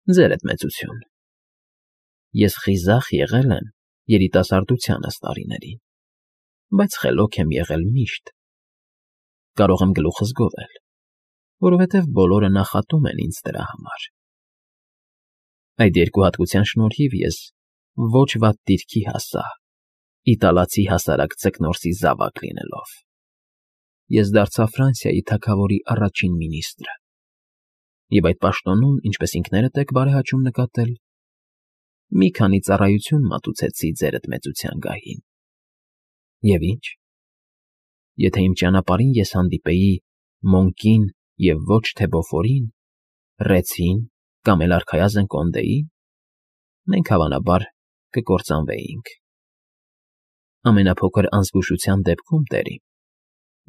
Ձերդ մեծություն, ես խիզախ եղել եմ երիտասարդությանս տարիներին, բայց խելոք եմ եղել միշտ, կարող եմ գլուխս գովել, որովհետև բոլորը նախատում են ինձ դրա համար։ Այդ երկու հատկության շնորհիվ ես ոչ վատ դիրքի հասա, իտալացի հասարակ ձկնորսի զավակ լինելով։ Ես դարձա Ֆրանսիայի թագավորի առաջին մինիստրը, և այդ պաշտոնում, ինչպես ինքներդ եք բարեհաճում նկատել, մի քանի ծառայություն մատուցեցի ձերդ մեծության գահին։ Եվ ինչ, եթե իմ ճանապարհին ես հանդիպեի Մոնկին և ոչ թե Բոֆորին, Ռեցին կամ էլ արքայազն Կոնդեին, մենք հավանաբար կկործանվեինք։ Ամենափոքր անզգուշության դեպքում, տերին,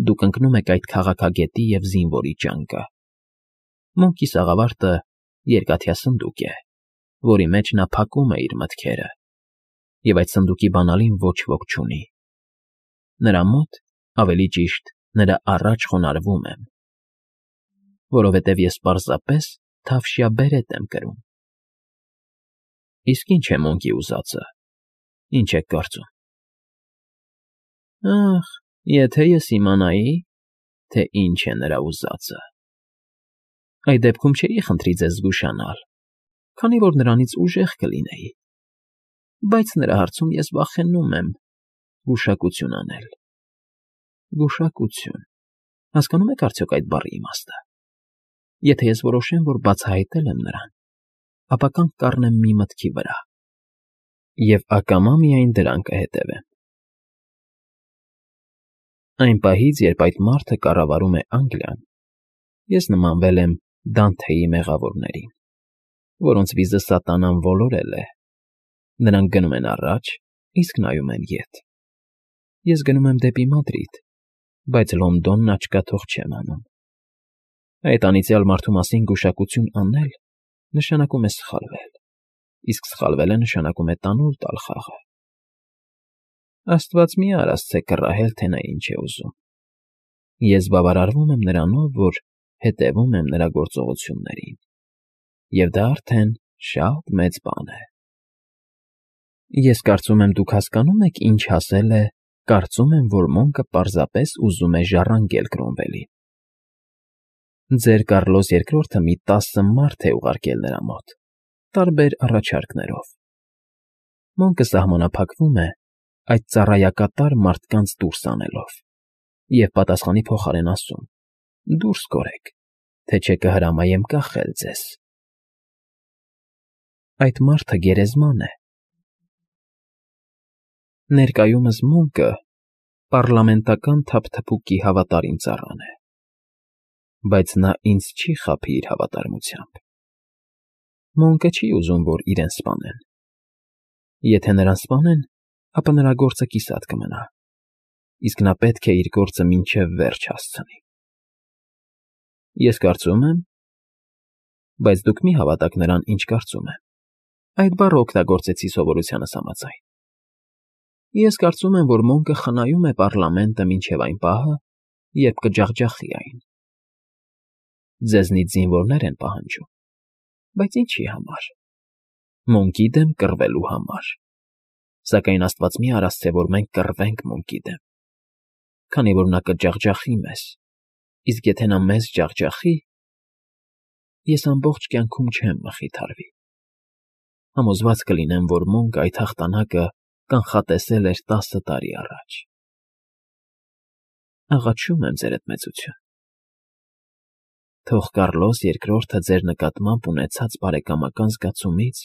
դուք ընկնում եք այդ քաղաքագետի և զինվորի ճանկը։ Մոնկի սաղավարտը երկաթյա սնդուկ է, որի մեջ նա փակում է իր մտքերը, և այդ սնդուկի բանալին ոչ ոք չունի։ Նրա մոտ, ավելի ճիշտ, նրա առաջ խոնարհվում եմ, որովհետև ես պարզապես թավշյա բերետ եմ կրում։ Իսկ ինչ է Մոնկի ուզածը, ինչ եք կարծում։ Ախ, եթե ես իմանայի, թե ինչ է նրա ուզածը… Այդ դեպքում չէի խնդրի ձեզ զգուշանալ, քանի որ նրանից ուժեղ կլինեի, բայց նրա հարցում ես վախենում եմ գուշակություն անել։ Գուշակություն… Հասկանո՞ւմ եք արդյոք այդ բառի իմաստը։ Եթե ես որոշեմ, որ բացահայտել եմ նրան, ապա կանգ կառնեմ մի մտքի վրա, և ակամա միայն դրան կհետևեմ։ Այն պահից, երբ այդ մարդը կառավարում է Անգլիան, ես նմանվել եմ Դանթեի մեղավորներին, որոնց վիզը սատանան ոլորել է. նրանք գնում են առաջ, իսկ նայում են ետ։ Ես գնում եմ դեպի Մադրիդ, բայց Լոնդոնն աչքաթող չեմ անում։ Այդ անիծյալ մարդու մասին գուշակություն անել նշանակում է սխալվել, իսկ սխալվելը նշանակում է տանուլ տալ խաղը։ Աստված մի արասցե կռահել, թե նա ինչ է ուզում։ Ես բավարարվում եմ նրանով, որ հետևում եմ նրա գործողություններին, և դա արդեն շատ մեծ բան է։ Ես կարծում եմ, դուք հասկանում եք, ինչ ասել է «կարծում եմ, որ Մոնկը պարզապես ուզում է ժառանգել Կրոմվելին»։ Ձեր Կառլոս II-ը մի 10 մարդ է ուղարկել նրա մոտ, տարբեր առաջարկներով։ Մոնկը սահմանափակվում է այդ ծառայակատար մարդկանց դուրս անելով և պատասխանի փոխարեն ասում. «Դուրս կորեք, թե չէ կհրամայեմ կախել ձեզ»։ Այդ մարդը գերեզման է։ Ներկայումս Մոնկը պառլամենտական թափթփուկի հավատարիմ ծառան է, բայց նա ինձ չի խաբի իր հավատարմությամբ։ Մոնկը չի ուզում, որ իրեն սպանեն։ Եթե նրան սպանեն, ապա նրա գործը կիսատ կմնա, իսկ նա պետք է իր գործը մինչև վերջ հասցնի։ Ես կարծում եմ… Բայց դուք մի հավատաք նրան, ինչ կարծում եմ, այդ բառը օգտագործեցի սովորությանս համաձայն։ Ես կարծում եմ, որ Մոնկը խնայում է պառլամենտը մինչև այն պահը, երբ կջախջախի այն։ Ձեզնից զինվորներ են պահանջում, բայց ինչի համար։ Մոնկի դեմ կռվելու համար։ Սակայն աստված մի արասցե, որ մենք կռվենք Մոնկի դեմ, քանի որ նա կջախջախի մեզ, իսկ եթե նա մեզ ջախջախի, ես ամբողջ կյանքում չեմ մխիթարվի։ Համոզված կլինեմ, որ Մոնկը այդ հաղթանակը կանխատեսել էր 10 տարի առաջ։ Աղաչում եմ, ձերդ մեծություն, թող Կառլոս II-ը ձեր նկատմամբ ունեցած բարեկամական զգացումից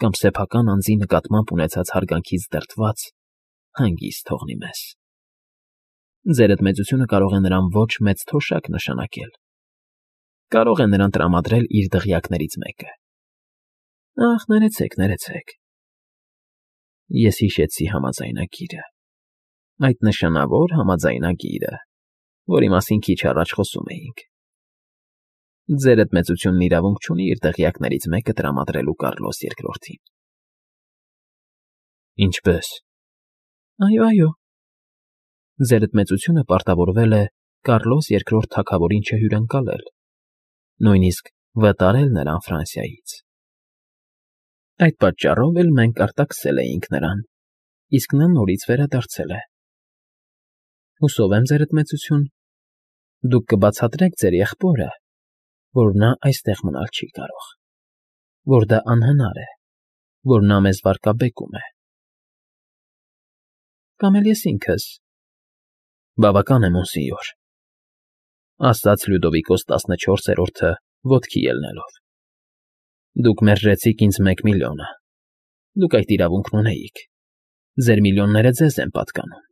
կամ սեփական անձի նկատմամբ ունեցած հարգանքից դրդված հանգիստ թողնի մեզ։ Ձերդ մեծությունը կարող է նրան ոչ մեծ թոշակ նշանակել, կարող է նրան տրամադրել իր դղյակներից մեկը։ Ախ, ներեցեք, ներեցեք… Ես հիշեցի համաձայնագիրը, այդ նշանավոր համաձայնագիրը, որի մասին քիչ առաջ խոսում էինք։ Ձերդ մեծությունն իրավունք չունի իր դղյակներից մեկը տրամադրելու Կառլոս II-ին։ Ինչպե՞ս։ Այո, այո։ Ձերդ մեծությունը պարտավորվել է Կառլոս II թագավորին չհյուրընկալել, նույնիսկ վտարել նրան Ֆրանսիայից։ Այդ պատճառով էլ մենք արտաքսել էինք նրան, իսկ նա նորից վերադարձել է։ Հուսով եմ, ձերդ մեծություն, դուք կբացատրեք ձեր եղբորը, որ նա այստեղ մնալ չի կարող, որ դա անհնար է, որ նա մեզ վարկաբեկում է։ Կամ էլ ես ինքս։ Բավական է, մոնսինյոր, ասաց Լյուդովիկոս 14-րդը ոտքի ելնելով։ Դուք մերժեցիք ինձ 1 միլիոնը, դուք այդ իրավունքն ունեիք, ձեր միլիոնները ձեզ են պատկանում,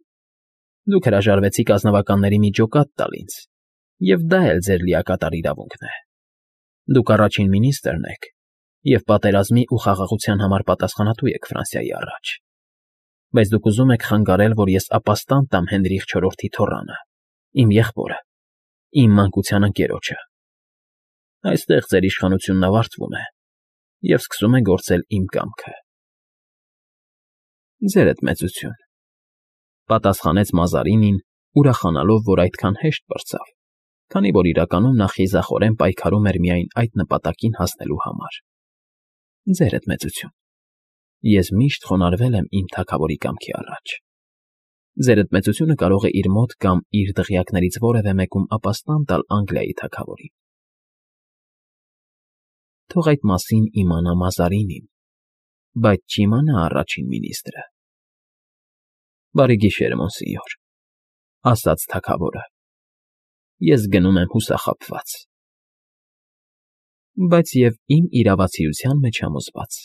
դուք հրաժարվեցիք ազնվականների մի ջոկատ տալ ինձ, և դա էլ ձեր լիակատար իրավունքն է։ Դուք առաջին մինիստրն եք և պատերազմի ու խաղաղության համար պատասխանատու եք Ֆրանսիայի առաջ, բայց դուք ուզում եք խանգարել, որ ես ապաստան տամ Հենրիխ IV-ի թոռանը, իմ եղբորը, իմ մանկության ընկերոջը։ Այստեղ ձեր իշխանությունն ավարտվում է և սկսում է գործել իմ կամքը։ Ձերդ մեծություն, պատասխանեց Մազարինին, ուրախանալով, որ այդքան հեշտ պրծավ, քանի որ իրականում նա խիզախորեն պայքարում էր միայն այդ նպատակին հասնելու համար։ Ձերդ մեծություն, ես միշտ խոնարհվել եմ իմ թագավորի կամքի առաջ։ Ձերդ մեծությունը կարող է իր մոտ կամ իր դղյակներից որևէ մեկում ապաստան տալ Անգլիայի թագավորին։ Թող այդ մասին իմանա Մազարինին, բայց չիմանա առաջին մինիստրը։ Բարի գիշեր, մոնսինյոր, ասաց թագավորը։ Ես գնում եմ հուսախաբված, բայց և իմ իրավացիության մեջ համոզված,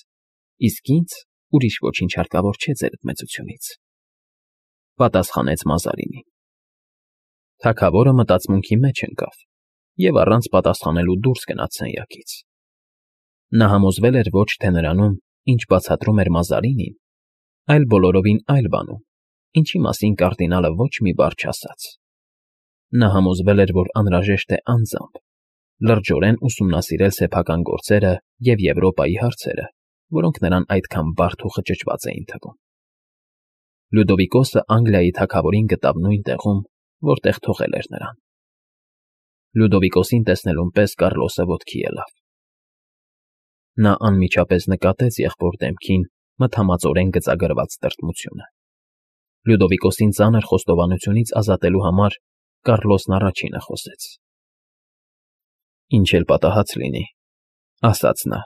իսկ ինձ ուրիշ ոչինչ հարկավոր չէ ձերդ մեծությունից, պատասխանեց Մազարինին։ Թագավորը մտածմունքի մեջ ընկավ և առանց պատասխանելու դուրս գնաց սենյակից։ Նա համոզվել էր ոչ թե նրանում, ինչ բացատրում էր Մազարինին, այլ բոլորովին այլ բանում, ինչի մասին կարդինալը ոչ մի բառ չասաց։ Նա համոզվել էր, որ անհրաժեշտ է անձամբ լրջորեն ուսումնասիրել սեփական գործերը և Եվրոպայի հարցերը, որոնք նրան այդքան բարդ ու խճճված էին թվում։ Լյուդովիկոսը Անգլիայի թագավորին գտավ նույն տեղում, որտեղ թողել էր նրան։ Լյուդովիկոսին տեսնելուն պես Կառլոսը ոտքի ելավ։ Նա անմիջապես նկատեց եղբոր դեմքին մթամածորեն գծագրված տրտմությունը։ Լյուդովիկոսին ծանր խոստովանությունից ազատելու համար Կառլոսն առաջինը խոսեց։ Ինչ էլ պատահած լինի, ասաց նա,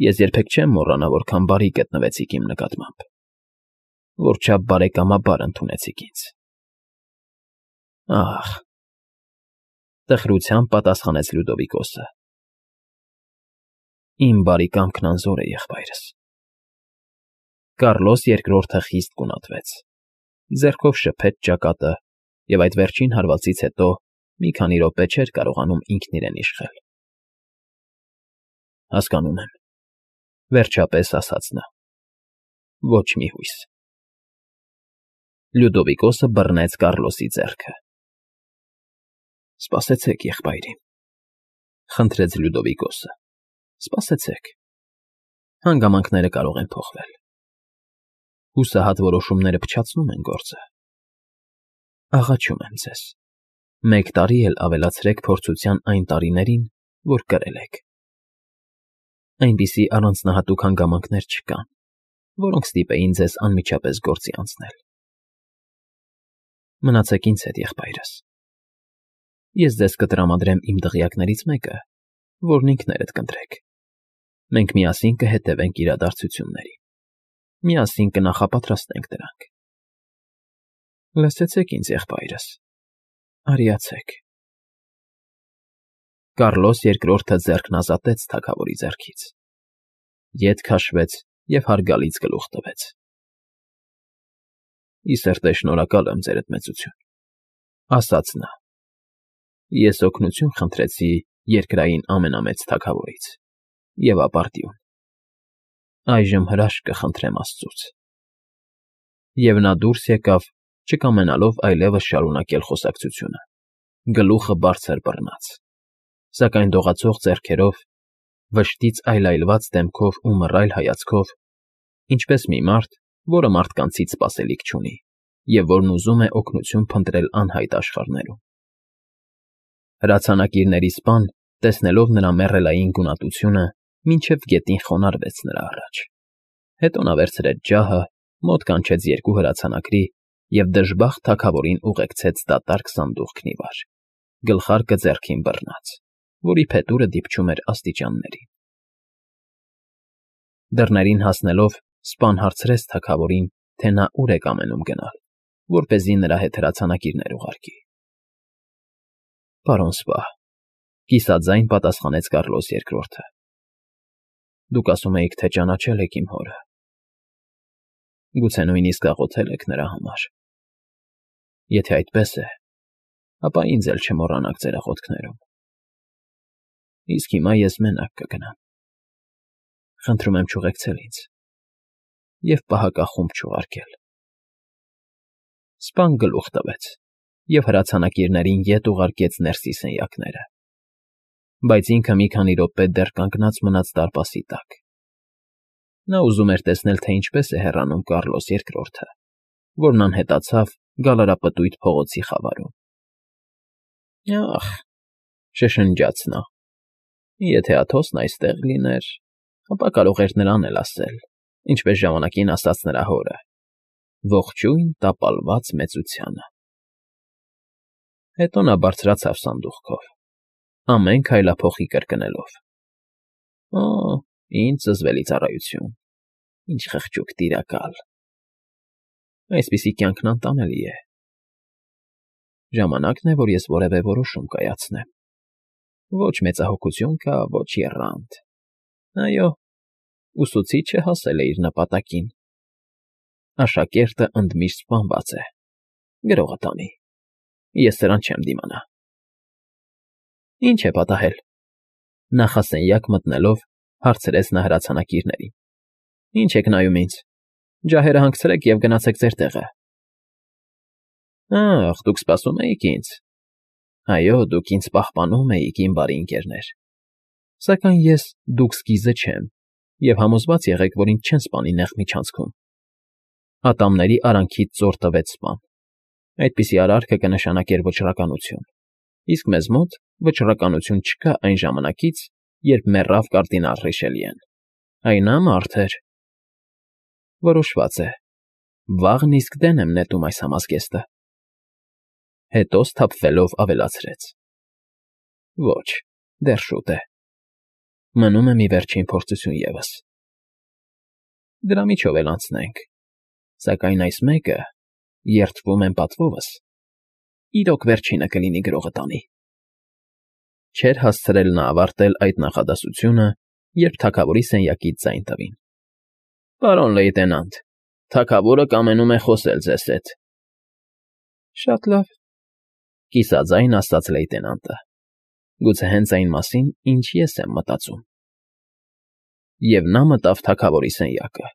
ես երբեք չեմ մոռանա, որքան բարի գտնվեցիք իմ նկատմամբ, որչափ բարեկամաբար ընդունեցիք ինձ։ Ահ, տխրությամբ պատասխանեց Լյուդովիկոսը։ Իմ բարի կամքն անզոր է, եղբայրս։ Կառլոս II խիստ գունատվեց, ձեռքով շփեց ճակատը և այդ վերջին հարվածից հետո մի քանի րոպե չէր կարողանում ինքն իրեն իշխել։ Հասկանում եմ, վերջապես ասաց նա, ոչ մի հույս։ Լյուդովիկոսը բռնեց Կառլոսի ձեռքը։ Սպասեցեք, եղբայրիմ, խնդրեց Լյուդովիկոսը, սպասեցեք, հանգամանքները կարող են փոխվել։ Հուսահատ որոշումները փչացնում են գործը։ Աղաչում եմ ձեզ, 1 տարի էլ ավելացրեք փորձության այն տարիներին, որ կրել եք։ Այնպիսի առանձնահատուկ հանգամանքներ չկան, որոնք ստիպեին ձեզ անմիջապես գործի անցնել։ Մնացեք ինձ հետ, եղբայրս։ Ես ձեզ կտրամադրեմ իմ դղյակներից մեկը, որն ինքներդ կընտրեք։ Մենք միասին կհետևենք իրադարձություններին, միասին կնախապատրաստենք դրանք։ Լսեցեք ինձ, եղբայրս, արիացեք։ Կառլոս II ձեռքն ազատեց թագավորի ձեռքից, ետ քաշվեց և հարգալից գլուխ տվեց։ Ի սրտե շնորհակալ եմ, ձերդ մեծություն, ասաց նա։ Ես օգնություն խնդրեցի երկրային ամենամեծ թագավորից և ապարդյուն։ Այժմ հրաշք կխնդրեմ աստծուց։ Եվ նա դուրս եկավ, չկամենալով այլևս շարունակել խոսակցությունը, գլուխը բարձր բռնած, սակայն դողացող ձեռքերով, վշտից այլայլված դեմքով ու մռայլ հայացքով, ինչպես մի մարդ, որը մարդկանցից սպասելիք չունի և որն ուզում է օգնություն փնտրել անհայտ աշխարհներում։ Հրացանակիրների սպան, տեսնելով նրա մեռելային գունատությունը, մինչև գետին խոնարհվեց նրա առաջ, հետո նա վերցրեց ջահը, մոտ կանչեց երկու հրացանակրի և դժբախտ թագավորին ուղեկցեց դատարկ սանդուղքն ի վար, գլխարկը ձեռքին բռնած, որի փետուրը դիպչում էր աստիճաններին։ Դռներին հասնելով սպան հարցրեց թագավորին, թե նա ուր է կամենում գնալ, որպեսզի նրա հետ հրացանակիրներ ուղարկի։ Պարոն սպա, կիսաձայն պատասխանեց Կառլոս II. Դուք ասում էիք, թե ճանաչել եք իմ հորը։ Գուցե նույնիսկ աղոթել եք նրա համար։ Եթե այդպես է, ապա ինձ էլ չմոռանաք ձեր աղոթքներում։ Իսկ հիմա ես մենակ կգնամ։ Խնդրում եմ չուղեկցել ինձ և պահակախումբ չուղարկել։ Սպան գլուխ տվեց և հրացանակիրներին ետ ուղարկեց ներսի սենյակները, բայց ինքը մի քանի րոպե դեռ կանգնած մնաց դարպասի տակ։ Նա ուզում էր տեսնել, թե ինչպես է հեռանում Կառլոս II, որն անհետացավ գալարապտույտ փողոցի խավարում։ Ախ, շշնջաց նա, եթե Աթոսն այստեղ լիներ, ապա կարող էր նրան էլ ասել, ինչպես ժամանակին ասաց նրա հորը. «Ողջույն տապալված մեծությանը»։ Հետո նա բարձրացավ սանդուղքով, ամեն քայլափոխի կրկնելով. «Օ, ինչ զզվելի ծառայություն, ինչ խղճուկ տիրակալ… Այսպիսի կյանքն անտանելի է… Ժամանակն է, որ ես որևէ որոշում կայացնեմ… Ոչ մեծահոգություն կա, ոչ եռանդ… Այո, ուսուցիչը հասել է իր նպատակին… Աշակերտը ընդմիշտ սպանված է… Գրողը տանի… Ես սրան չեմ դիմանա… Ի՞նչ է պատահել… Նախասենյակ մտնելով հարցրեց նա հրացանակիրներին։ Ի՞նչ եք նայում ինձ… Ջահերը հանգցրեք և գնացեք ձեր տեղը… Ախ, դուք սպասում էիք ինձ… Այո, դուք ինձ պահպանում էիք, իմ բարի ընկերներ… Սակայն ես դուքս գիզը չեմ և համոզված եղեք, որ ինձ չեն սպանի նեղ միջանցքում… Ատամների արանքից ծոր տվեց սպան։ Այդպիսի արարքը կնշանակեր վճռականություն, իսկ մեզ մոտ վճռականություն չկա այն ժամանակից, երբ մեռավ կարդինալ Ռիշելիեն… Այն նա մարդ էր… Որոշված է, վաղն իսկ դեն եմ նետում այս համազգեստը… Հետո սթափվելով ավելացրեց. Ոչ, դեռ շուտ է… Մնում է մի վերջին փորձություն ևս… Դրա միջով էլ անցնենք… Սակայն այս մեկը, երդվում եմ պատվովս, իրոք վերջինը կլինի գրողը տանի… Չէր հասցրել նա ավարտել այդ նախադասությունը, երբ թագավորի սենյակից ձայն տվին. Պարոն լեյտենանտ, թագավորը կամենում է խոսել ձեզ հետ… Շատ լավ, կիսաձայն ասաց լեյտենանտը, գուցե հենց այն մասին, ինչ ես եմ մտածում… Եվ նա մտավ թագավորի սենյակը։